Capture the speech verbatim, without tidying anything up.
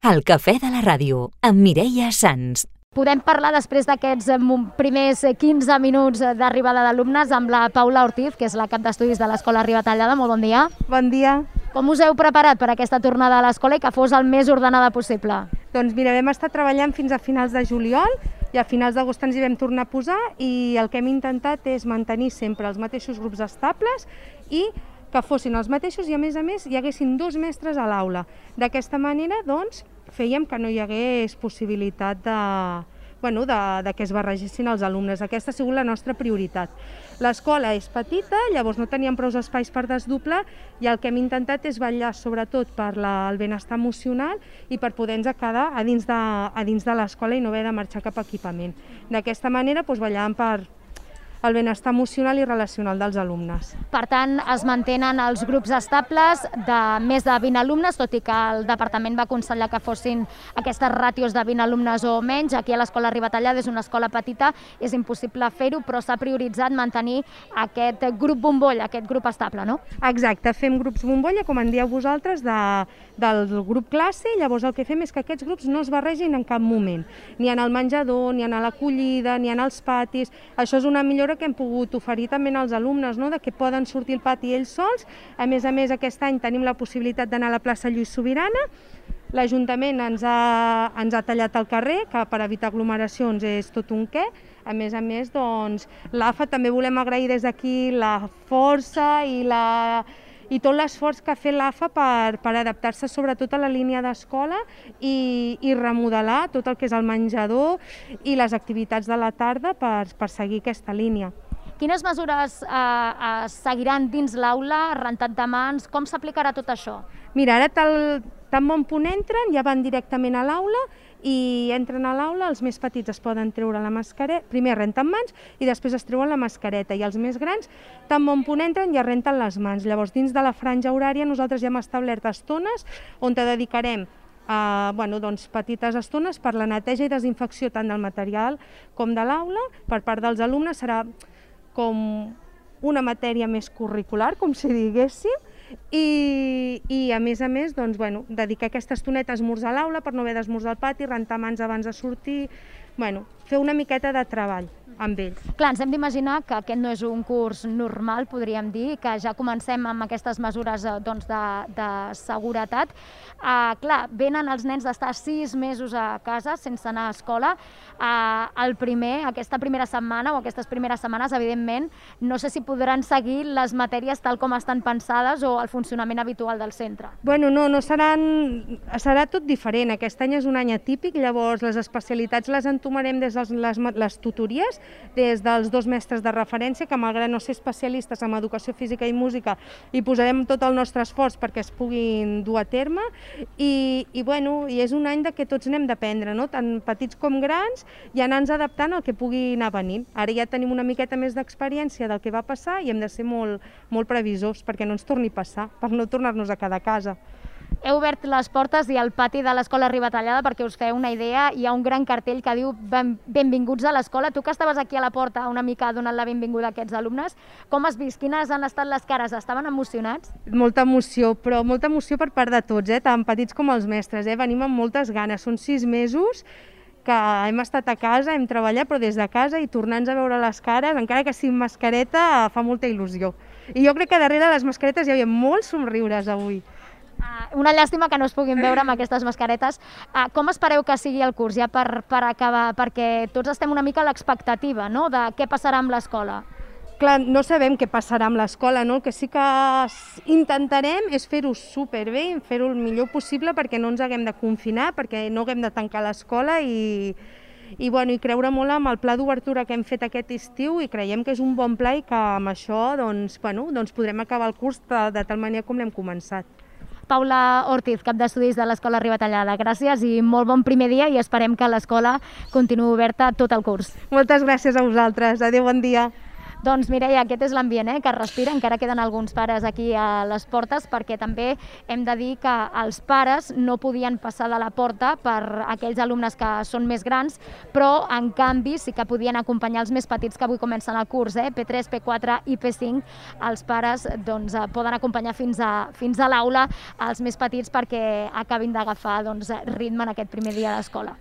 El cafè de la ràdio, amb Mireia Sans. Podem parlar després d'aquests primers quinze minuts d'arribada d'alumnes amb la Paula Ortiz, que és la cap d'estudis de l'Escola Ribatallada. Molt bon dia. Bon dia. Com us heu preparat per aquesta tornada a l'escola i que fos el més ordenada possible? Doncs mira, vam estar treballant fins a finals de juliol i a finals d'agost ens hi vam tornar a posar i el que hem intentat és mantenir sempre els mateixos grups estables i que fossin els mateixos i a més a més hi haguessin dos mestres a l'aula. D'aquesta manera, doncs, fèiem que no hi hagués possibilitat de, bueno, de, de que es barregessin els alumnes. Aquesta ha sigut la nostra prioritat. L'escola és petita, llavors no teníem prou espais per desdoblar i el que hem intentat és vetllar sobretot per la, el benestar emocional i per poder-nos quedar a dins de, a dins de l'escola i no haver de marxar cap a equipament. D'aquesta manera doncs, vetllàvem per el benestar emocional i relacional dels alumnes. Per tant, es mantenen els grups estables de més de vint alumnes, tot i que el departament va aconsellar que fossin aquestes ràtios de vint alumnes o menys. Aquí a l'Escola Ribatallada és una escola petita, és impossible fer-ho, però s'ha prioritzat mantenir aquest grup bombolla, aquest grup estable, no? Exacte, fem grups bombolla, com en dieu vosaltres, de, del grup classe, i llavors el que fem és que aquests grups no es barregin en cap moment, ni en el menjador, ni en l'acollida, ni en els patis. Això és una millora que hem pogut oferir també als alumnes, no? De que poden sortir al pati ells sols. A més a més, aquest any tenim la possibilitat d'anar a la plaça Lluís Sobirana. L'Ajuntament ens ha, ens ha tallat el carrer, que per evitar aglomeracions és tot un què. A més a més, doncs, l'A F A també volem agrair des d'aquí la força i la... i tot l'esforç que ha fet l'A F A per, per adaptar-se sobretot a la línia d'escola i, i remodelar tot el que és el menjador i les activitats de la tarda per, per seguir aquesta línia. Quines mesures eh, eh, seguiran dins l'aula, rentat de mans, com s'aplicarà tot això? Mira, ara tal, tan bon punt entren, ja van directament a l'aula i entren a l'aula, els més petits es poden treure la mascareta, primer renten mans i després es treuen la mascareta i els més grans, tan bon punt entren, ja renten les mans. Llavors, dins de la franja horària nosaltres ja hem establert estones on te dedicarem a, bueno, doncs, petites estones per la neteja i desinfecció tant del material com de l'aula. Per part dels alumnes serà com una matèria més curricular, com si diguéssim, I, i a més a més doncs, bueno, dedicar aquesta estoneta a esmorzar a l'aula per no haver d'esmorzar al pati, rentar mans abans de sortir, bueno, fer una miqueta de treball amb ells. Clar, ens hem d'imaginar que aquest no és un curs normal, podríem dir, que ja comencem amb aquestes mesures doncs, de, de seguretat. Uh, clar, venen els nens d'estar sis mesos a casa sense anar a escola. Uh, el primer, aquesta primera setmana o aquestes primeres setmanes, evidentment, no sé si podran seguir les matèries tal com estan pensades o el funcionament habitual del centre. Bueno, no, no seran... serà tot diferent. Aquest any és un any atípic, llavors les especialitats les entomarem des de les, les tutories, des dels dos mestres de referència, que malgrat no ser especialistes en educació física i música, hi posarem tot el nostre esforç perquè es puguin dur a terme i, i, bueno, i és un any de que tots n'hem d'aprendre, no? Tant petits com grans, i anar-nos adaptant al que pugui anar venint. Ara ja tenim una miqueta més d'experiència del que va passar i hem de ser molt, molt previsors perquè no ens torni a passar, per no tornar-nos a quedar a casa. Heu obert les portes i al pati de l'Escola Ribatallada, perquè us feu una idea, hi ha un gran cartell que diu benvinguts a l'escola. Tu que estaves aquí a la porta una mica donant la benvinguda a aquests alumnes, com has vist? Quines han estat les cares? Estaven emocionats? Molta emoció, però molta emoció per part de tots, eh? Tant petits com els mestres. Eh? Venim amb moltes ganes, són sis mesos que hem estat a casa, hem treballat, però des de casa i tornar-nos a veure les cares, encara que sigui amb mascareta, fa molta il·lusió. I jo crec que darrere les mascaretes hi havia molts somriures avui. Uh, una llàstima que no es puguin veure amb aquestes mascaretes. Uh, com espereu que sigui el curs, ja per, per acabar? Perquè tots estem una mica a l'expectativa, no?, de què passarà amb l'escola. Clar, no sabem què passarà amb l'escola, no? El que sí que intentarem és fer-ho superbé, fer-ho el millor possible perquè no ens haguem de confinar, perquè no haguem de tancar l'escola i, i, bueno, i creure molt amb el pla d'obertura que hem fet aquest estiu i creiem que és un bon pla i que amb això doncs, bueno, doncs podrem acabar el curs de, de tal manera com l'hem començat. Paula Ortiz, cap d'estudis de l'Escola Ribatallada. Gràcies i molt bon primer dia i esperem que l'escola continuï oberta tot el curs. Moltes gràcies a vosaltres. Adéu, bon dia. Doncs Mireia, aquest és l'ambient eh, que es respira, encara queden alguns pares aquí a les portes, perquè també hem de dir que els pares no podien passar de la porta per aquells alumnes que són més grans, però en canvi sí que podien acompanyar els més petits que avui comencen el curs, eh? P tres, P quatre i P cinc, els pares doncs, poden acompanyar fins a, fins a l'aula els més petits perquè acabin d'agafar doncs, ritme en aquest primer dia d'escola.